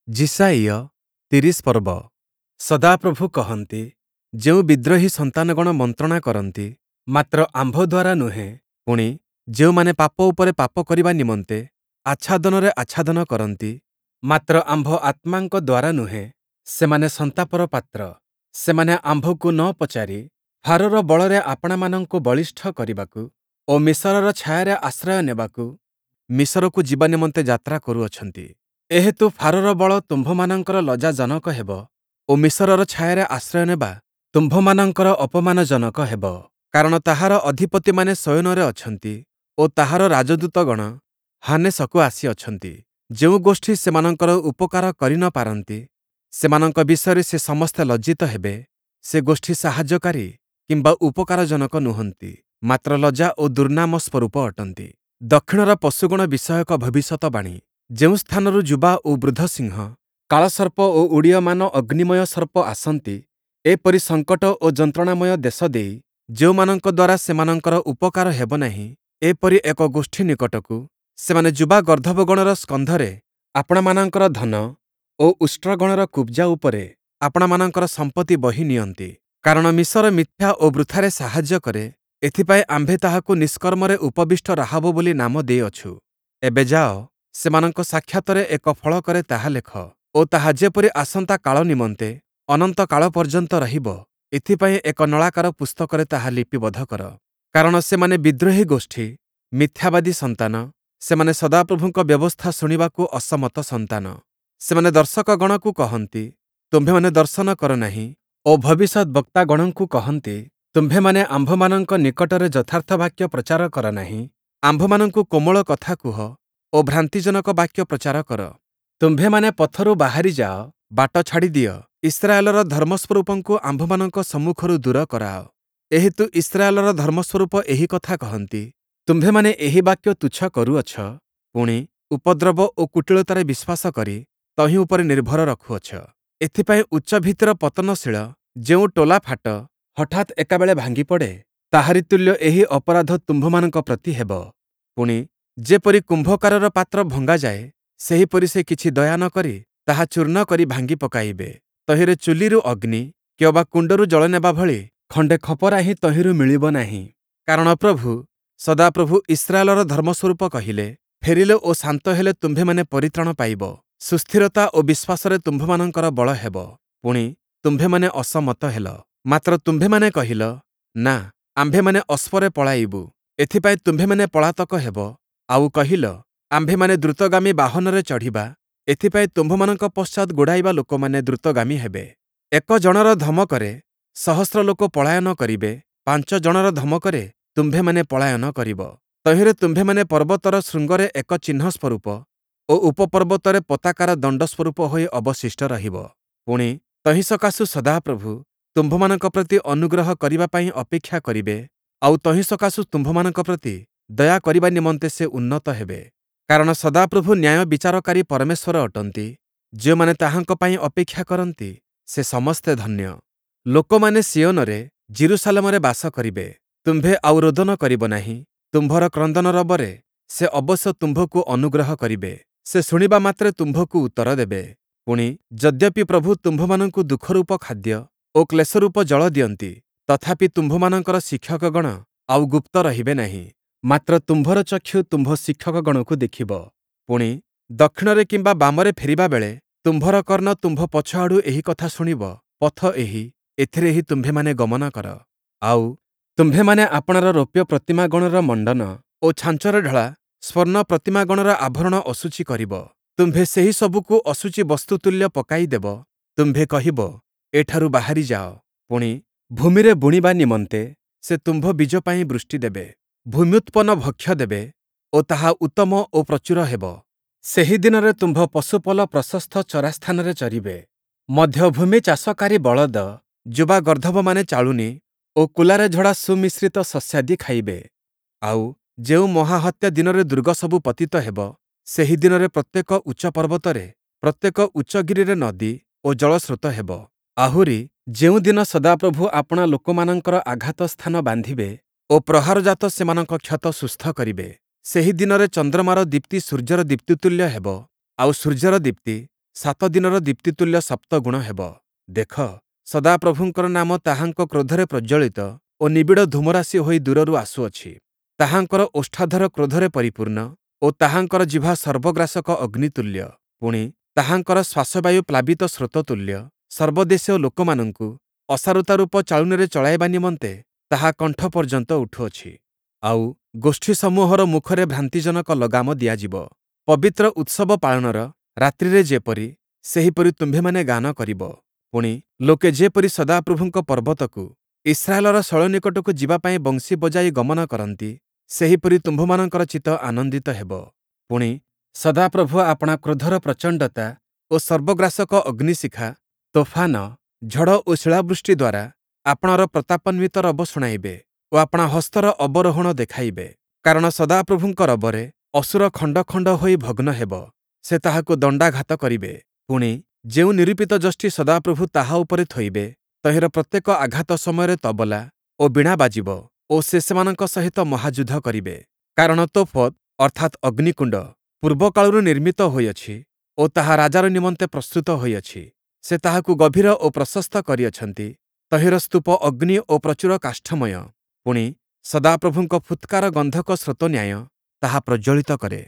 ଯିଶାଇୟ ୩୦ ପର୍ବ। ସଦାପ୍ରଭୁ କହନ୍ତି, ଯେଉଁ ବିଦ୍ରୋହୀ ସନ୍ତାନଗଣ ମନ୍ତ୍ରଣା କରନ୍ତି, ମାତ୍ର ଆମ୍ଭ ଦ୍ୱାରା ନୁହେଁ, ପୁଣି, ଯେଉଁମାନେ ପାପ ଉପରେ ପାପ କରିବା ନିମନ୍ତେ ଆଚ୍ଛାଦନରେ ଆଚ୍ଛାଦନ କରନ୍ତି, ମାତ୍ର ଆମ୍ଭ ଆତ୍ମାଙ୍କ ଦ୍ୱାରା ନୁହେଁ, ସେମାନେ ସନ୍ତାପର ପାତ୍ର। ସେମାନେ ଆମ୍ଭକୁ ନ ପଚାରି ଫାରୋର ବଳରେ ଆପଣାମାନଙ୍କୁ ବଳିଷ୍ଠ କରିବାକୁ ଓ ମିସରର ଛାୟାରେ ଆଶ୍ରୟ ନେବାକୁ ମିସରକୁ ଯିବା ନିମନ୍ତେ ଯାତ୍ରା କରୁଅଛନ୍ତି। ଏହେତୁ ଫାରୋର ବଳ ତୁମ୍ଭମାନଙ୍କର ଲଜ୍ଜାଜନକ ହେବ ଓ ମିସରର ଛାୟାରେ ଆଶ୍ରୟ ନେବା ତୁମ୍ଭମାନଙ୍କର ଅପମାନଜନକ ହେବ। କାରଣ ତାହାର ଅଧିପତିମାନେ ଶୟନରେ ଅଛନ୍ତି ଓ ତାହାର ରାଜଦୂତଗଣ ହାନେସକୁ ଆସିଅଛନ୍ତି। ଯେଉଁ ଗୋଷ୍ଠୀ ସେମାନଙ୍କର ଉପକାର କରି ନ ପାରନ୍ତି, ସେମାନଙ୍କ ବିଷୟରେ ସେ ସମସ୍ତେ ଲଜ୍ଜିତ ହେବେ। ସେ ଗୋଷ୍ଠୀ ସାହାଯ୍ୟକାରୀ କିମ୍ବା ଉପକାରଜନକ ନୁହନ୍ତି, ମାତ୍ର ଲଜ୍ଜା ଓ ଦୁର୍ନାମ ସ୍ୱରୂପ ଅଟନ୍ତି। ଦକ୍ଷିଣର ପଶୁଗଣ ବିଷୟକ ଭବିଷ୍ୟତବାଣୀ। ଯେଉଁ ସ୍ଥାନରୁ ଯୁବା ଓ ବୃଦ୍ଧ ସିଂହ, କାଳସର୍ପ ଓ ଉଡ଼ୀୟମାନ ଅଗ୍ନିମୟ ସର୍ପ ଆସନ୍ତି, ଏପରି ସଙ୍କଟ ଓ ଯନ୍ତ୍ରଣାମୟ ଦେଶ ଦେଇ ଯେଉଁମାନଙ୍କ ଦ୍ୱାରା ସେମାନଙ୍କର ଉପକାର ହେବ ନାହିଁ, ଏପରି ଏକ ଗୋଷ୍ଠୀ ନିକଟକୁ ସେମାନେ ଯୁବା ଗର୍ଦ୍ଦଭଗଣର ସ୍କନ୍ଧରେ ଆପଣାମାନଙ୍କର ଧନ ଓ ଉଷ୍ଟ୍ରଗଣର କୁବ୍ଜା ଉପରେ ଆପଣାମାନଙ୍କର ସମ୍ପତ୍ତି ବହି ନିଅନ୍ତି। କାରଣ ମିସର ମିଥ୍ୟା ଓ ବୃଥାରେ ସାହାଯ୍ୟ କରେ, ଏଥିପାଇଁ ଆମ୍ଭେ ତାହାକୁ ନିଷ୍କର୍ମରେ ଉପବିଷ୍ଟ ରାହାବ ବୋଲି ନାମ ଦେଇଅଛୁ। ଏବେ ଯାଅ, ସେମାନଙ୍କ ସାକ୍ଷାତରେ ଏକ ଫଳକରେ ତାହା ଲେଖ ଓ ତାହା ଯେପରି ଆସନ୍ତା କାଳ ନିମନ୍ତେ ଅନନ୍ତ କାଳ ପର୍ଯ୍ୟନ୍ତ ରହିବ, ଏଥିପାଇଁ ଏକ ନଳାକାର ପୁସ୍ତକରେ ତାହା ଲିପିବଦ୍ଧ କର। କାରଣ ସେମାନେ ବିଦ୍ରୋହୀ ଗୋଷ୍ଠୀ, ମିଥ୍ୟାବାଦୀ ସନ୍ତାନ, ସେମାନେ ସଦାପ୍ରଭୁଙ୍କ ବ୍ୟବସ୍ଥା ଶୁଣିବାକୁ ଅସମ୍ମତ ସନ୍ତାନ। ସେମାନେ ଦର୍ଶକଗଣକୁ କହନ୍ତି, ତୁମ୍ଭେମାନେ ଦର୍ଶନ କର ନାହିଁ, ଓ ଭବିଷ୍ୟଦ୍‌ବକ୍ତାଗଣଙ୍କୁ କହନ୍ତି, ତୁମ୍ଭେମାନେ ଆମ୍ଭମାନଙ୍କ ନିକଟରେ ଯଥାର୍ଥ ବାକ୍ୟ ପ୍ରଚାର କର ନାହିଁ। ଆମ୍ଭମାନଙ୍କୁ କୋମଳ କଥା କୁହ ଓ ଭ୍ରାନ୍ତିଜନକ ବାକ୍ୟ ପ୍ରଚାର କର। ତୁମ୍ଭେମାନେ ପଥରୁ ବାହାରି ଯାଅ, ବାଟ ଛାଡ଼ିଦିଅ, ଇସ୍ରାଏଲର ଧର୍ମସ୍ୱରୂପଙ୍କୁ ଆମ୍ଭମାନଙ୍କ ସମ୍ମୁଖରୁ ଦୂର କରାଅ। ଏହେତୁ ଇସ୍ରାଏଲର ଧର୍ମସ୍ୱରୂପ ଏହି କଥା କହନ୍ତି, ତୁମ୍ଭେମାନେ ଏହି ବାକ୍ୟ ତୁଚ୍ଛ କରୁଅଛ, ପୁଣି, ଉପଦ୍ରବ ଓ କୁଟିଳତାରେ ବିଶ୍ୱାସ କରି ତହିଁ ଉପରେ ନିର୍ଭର ରଖୁଅଛ। ଏଥିପାଇଁ ଉଚ୍ଚ ଭିତ୍ତିର ପତନଶୀଳ ଯେଉଁ ଟୋଲାଫାଟ ହଠାତ୍ ଏକାବେଳେ ଭାଙ୍ଗିପଡ଼େ, ତାହାରି ତୁଲ୍ୟ ଏହି ଅପରାଧ ତୁମ୍ଭମାନଙ୍କ ପ୍ରତି ହେବ। ପୁଣି, ଯେପରି କୁମ୍ଭକାରର ପାତ୍ର ଭଙ୍ଗାଯାଏ, ସେହିପରି ସେ କିଛି ଦୟା ନ କରି ତାହା ଚୂର୍ଣ୍ଣ କରି ଭାଙ୍ଗି ପକାଇବେ। ତହିଁରେ ଚୁଲିରୁ ଅଗ୍ନି କିଅବା କୁଣ୍ଡରୁ ଜଳ ନେବା ଭଳି ଖଣ୍ଡେ ଖପରା ହିଁ ତହିଁରୁ ମିଳିବ ନାହିଁ। କାରଣ ପ୍ରଭୁ, ସଦାପ୍ରଭୁ ଇସ୍ରାଏଲର ଧର୍ମସ୍ୱରୂପ କହିଲେ, ଫେରିଲେ ଓ ଶାନ୍ତ ହେଲେ ତୁମ୍ଭେମାନେ ପରିତ୍ରାଣ ପାଇବ, ସୁସ୍ଥିରତା ଓ ବିଶ୍ୱାସରେ ତୁମ୍ଭମାନଙ୍କର ବଳ ହେବ। ପୁଣି, ତୁମ୍ଭେମାନେ ଅସମ୍ମତ ହେଲ। ମାତ୍ର ତୁମ୍ଭେମାନେ କହିଲ, ନା, ଆମ୍ଭେମାନେ ଅଶ୍ୱରେ ପଳାଇବୁ। ଏଥିପାଇଁ ତୁମ୍ଭେମାନେ ପଳାତକ ହେବ। ଆଉ କହିଲ, ଆମ୍ଭେମାନେ ଦ୍ରୁତଗାମୀ ବାହନରେ ଚଢ଼ିବା। ଏଥିପାଇଁ ତୁମ୍ଭମାନଙ୍କ ପଶ୍ଚାତ୍ ଗୋଡ଼ାଇବା ଲୋକମାନେ ଦ୍ରୁତଗାମୀ ହେବେ। ଏକ ଜଣର ଧମକରେ ସହସ୍ର ଲୋକ ପଳାୟନ କରିବେ, ପାଞ୍ଚ ଜଣର ଧମକରେ ତୁମ୍ଭେମାନେ ପଳାୟନ କରିବ। ତହିଁରେ ତୁମ୍ଭେମାନେ ପର୍ବତର ଶୃଙ୍ଗରେ ଏକ ଚିହ୍ନ ସ୍ୱରୂପ ଓ ଉପପର୍ବତରେ ପତାକାର ଦଣ୍ଡ ସ୍ୱରୂପ ହୋଇ ଅବଶିଷ୍ଟ ରହିବ। ପୁଣି, ତହିଁ ସକାଶୁ ସଦାପ୍ରଭୁ ତୁମ୍ଭମାନଙ୍କ ପ୍ରତି ଅନୁଗ୍ରହ କରିବା ପାଇଁ ଅପେକ୍ଷା କରିବେ, ଆଉ ତହିଁ ସକାଶୁ ତୁମ୍ଭମାନଙ୍କ ପ୍ରତି ଦୟା କରିବା ନିମନ୍ତେ ସେ ଉନ୍ନତ ହେବେ। କାରଣ ସଦାପ୍ରଭୁ ନ୍ୟାୟ ବିଚାରକାରୀ ପରମେଶ୍ୱର ଅଟନ୍ତି, ଯେଉଁମାନେ ତାହାଙ୍କ ପାଇଁ ଅପେକ୍ଷା କରନ୍ତି, ସେ ସମସ୍ତେ ଧନ୍ୟ। ଲୋକମାନେ ସିୟୋନରେ, ଯିରୂଶାଲମରେ ବାସ କରିବେ। ତୁମ୍ଭେ ଆଉ ରୋଦନ କରିବ ନାହିଁ। ତୁମ୍ଭର କ୍ରନ୍ଦନ ରବରେ ସେ ଅବଶ୍ୟ ତୁମ୍ଭକୁ ଅନୁଗ୍ରହ କରିବେ। ସେ ଶୁଣିବା ମାତ୍ରେ ତୁମ୍ଭକୁ ଉତ୍ତର ଦେବେ। ପୁଣି, ଯଦ୍ୟପି ପ୍ରଭୁ ତୁମ୍ଭମାନଙ୍କୁ ଦୁଃଖରୂପ ଖାଦ୍ୟ ଓ କ୍ଲେଶରୂପ ଜଳ ଦିଅନ୍ତି, ତଥାପି ତୁମ୍ଭମାନଙ୍କର ଶିକ୍ଷକଗଣ ଆଉ ଗୁପ୍ତ ରହିବେ ନାହିଁ, ମାତ୍ର ତୁମ୍ଭର ଚକ୍ଷୁ ତୁମ୍ଭ ଶିକ୍ଷକଗଣକୁ ଦେଖିବ। ପୁଣି, ଦକ୍ଷିଣରେ କିମ୍ବା ବାମରେ ଫେରିବା ବେଳେ ତୁମ୍ଭର କର୍ଣ୍ଣ ତୁମ୍ଭ ପଛଆଡ଼ୁ ଏହି କଥା ଶୁଣିବ, ପଥ ଏହି, ଏଥିରେ ହିଁ ତୁମ୍ଭେମାନେ ଗମନ କର। ଆଉ ତୁମ୍ଭେମାନେ ଆପଣାର ରୌପ୍ୟ ପ୍ରତିମାଗଣର ମଣ୍ଡନ ଓ ଛାଞ୍ଚରେ ଢଳା ସ୍ୱର୍ଣ୍ଣ ପ୍ରତିମାଗଣର ଆଭରଣ ଅଶୁଚି କରିବ। ତୁମ୍ଭେ ସେହି ସବୁକୁ ଅଶୁଚି ବସ୍ତୁ ତୁଲ୍ୟ ପକାଇଦେବ। ତୁମ୍ଭେ କହିବ, ଏଠାରୁ ବାହାରି ଯାଅ। ପୁଣି, ଭୂମିରେ ବୁଣିବା ନିମନ୍ତେ ସେ ତୁମ୍ଭ ବୀଜ ପାଇଁ ବୃଷ୍ଟି ଦେବେ, ଭୂମ୍ୟୁତ୍ପନ୍ନ ଭକ୍ଷ୍ୟ ଦେବେ ଓ ତାହା ଉତ୍ତମ ଓ ପ୍ରଚୁର ହେବ। ସେହି ଦିନରେ ତୁମ୍ଭ ପଶୁପଲ ପ୍ରଶସ୍ତ ଚରାସ୍ଥାନରେ ଚରିବେ। ମଧ୍ୟ ଭୂମି ଚାଷକାରୀ ବଳଦ, ଯୁବା ଗର୍ଦ୍ଦଭମାନେ ଚାଳୁନୀ ଓ କୁଲାରେ ଝଡ଼ା ସୁମିଶ୍ରିତ ଶସ୍ୟାଦି ଖାଇବେ। ଆଉ ଯେଉଁ ମହାହତ୍ୟା ଦିନରେ ଦୁର୍ଗସବୁ ପତିତ ହେବ, ସେହି ଦିନରେ ପ୍ରତ୍ୟେକ ଉଚ୍ଚ ପର୍ବତରେ, ପ୍ରତ୍ୟେକ ଉଚ୍ଚଗିରିରେ ନଦୀ ଓ ଜଳସ୍ରୋତ ହେବ। ଆହୁରି, ଯେଉଁଦିନ ସଦାପ୍ରଭୁ ଆପଣା ଲୋକମାନଙ୍କର ଆଘାତ ସ୍ଥାନ ବାନ୍ଧିବେ ଓ ପ୍ରହାରଜାତ ସେମାନଙ୍କ କ୍ଷତ ସୁସ୍ଥ କରିବେ, ସେହି ଦିନରେ ଚନ୍ଦ୍ରମାର ଦୀପ୍ତି ସୂର୍ଯ୍ୟର ଦୀପ୍ତି ତୁଲ୍ୟ ହେବ, ଆଉ ସୂର୍ଯ୍ୟର ଦୀପ୍ତି ସାତ ଦିନର ଦୀପ୍ତିତୁଲ୍ୟ ସପ୍ତଗୁଣ ହେବ। ଦେଖ, ସଦାପ୍ରଭୁଙ୍କର ନାମ ତାହାଙ୍କ କ୍ରୋଧରେ ପ୍ରଜ୍ୱଳିତ ଓ ନିବିଡ଼ ଧୂମରାଶି ହୋଇ ଦୂରରୁ ଆସୁଅଛି। ତାହାଙ୍କର ଓଷ୍ଠାଧର କ୍ରୋଧରେ ପରିପୂର୍ଣ୍ଣ ଓ ତାହାଙ୍କର ଜିହ୍ବା ସର୍ବଗ୍ରାସକ ଅଗ୍ନିତୁଲ୍ୟ। ପୁଣି, ତାହାଙ୍କର ଶ୍ୱାସବାୟୁ ପ୍ଲାବିତ ସ୍ରୋତ ତୁଲ୍ୟ। ସର୍ବଦେଶୀୟ ଲୋକମାନଙ୍କୁ ଅସାରତାରୂପ ଚାଳୁଣୀରେ ଚଳାଇବା ନିମନ୍ତେ ତାହା କଣ୍ଠ ପର୍ଯ୍ୟନ୍ତ ଉଠୁଅଛି। ଆଉ, ଗୋଷ୍ଠୀସମୂହର ମୁଖରେ ଭ୍ରାନ୍ତିଜନକ ଲଗାମ ଦିଆଯିବ। ପବିତ୍ର ଉତ୍ସବ ପାଳନର ରାତ୍ରିରେ ଯେପରି, ସେହିପରି ତୁମ୍ଭେମାନେ ଗାନ କରିବ। ପୁଣି, ଲୋକେ ଯେପରି ସଦାପ୍ରଭୁଙ୍କ ପର୍ବତକୁ, ଇସ୍ରାଏଲର ଶୈଳ ନିକଟକୁ ଯିବା ପାଇଁ ବଂଶୀ ବଜାଇ ଗମନ କରନ୍ତି, ସେହିପରି ତୁମ୍ଭମାନଙ୍କର ଚିତ୍ତ ଆନନ୍ଦିତ ହେବ। ପୁଣି, ସଦାପ୍ରଭୁ ଆପଣା କ୍ରୋଧର ପ୍ରଚଣ୍ଡତା ଓ ସର୍ବଗ୍ରାସକ ଅଗ୍ନିଶିଖା, ତୋଫାନ, ଝଡ଼ ଓ ଶିଳାବୃଷ୍ଟି ଦ୍ୱାରା ଆପଣାର ପ୍ରତାପାନ୍ୱିତ ରବ ଶୁଣାଇବେ ଓ ଆପଣା ହସ୍ତର ଅବରୋହଣ ଦେଖାଇବେ। କାରଣ ସଦାପ୍ରଭୁଙ୍କ ରବରେ ଅଶୂର ଖଣ୍ଡ ଖଣ୍ଡ ହୋଇ ଭଗ୍ନ ହେବ, ସେ ତାହାକୁ ଦଣ୍ଡାଘାତ କରିବେ। ପୁଣି, ଯେଉଁ ନିରୂପିତ ଯଷ୍ଟି ସଦାପ୍ରଭୁ ତାହା ଉପରେ ଥୋଇବେ, ତହିଁର ପ୍ରତ୍ୟେକ ଆଘାତ ସମୟରେ ତବଲା ଓ ବୀଣା ବାଜିବ ଓ ସେ ସେମାନଙ୍କ ସହିତ ମହାଯୁଦ୍ଧ କରିବେ। କାରଣ ତୋଫତ୍, ଅର୍ଥାତ୍ ଅଗ୍ନିକୁଣ୍ଡ, ପୂର୍ବକାଳରୁ ନିର୍ମିତ ହୋଇଅଛି ଓ ତାହା ରାଜାର ନିମନ୍ତେ ପ୍ରସ୍ତୁତ ହୋଇଅଛି। ସେ ତାହାକୁ ଗଭୀର ଓ ପ୍ରଶସ୍ତ କରିଅଛନ୍ତି, ତହିଁର ସ୍ତୂପ ଅଗ୍ନି ଓ ପ୍ରଚୁର କାଷ୍ଠମୟ। ପୁଣି, ସଦାପ୍ରଭୁଙ୍କ ଫୁତ୍କାର ଗନ୍ଧକ ସ୍ରୋତ ନ୍ୟାୟ ତାହା ପ୍ରଜ୍ୱଳିତ କରେ।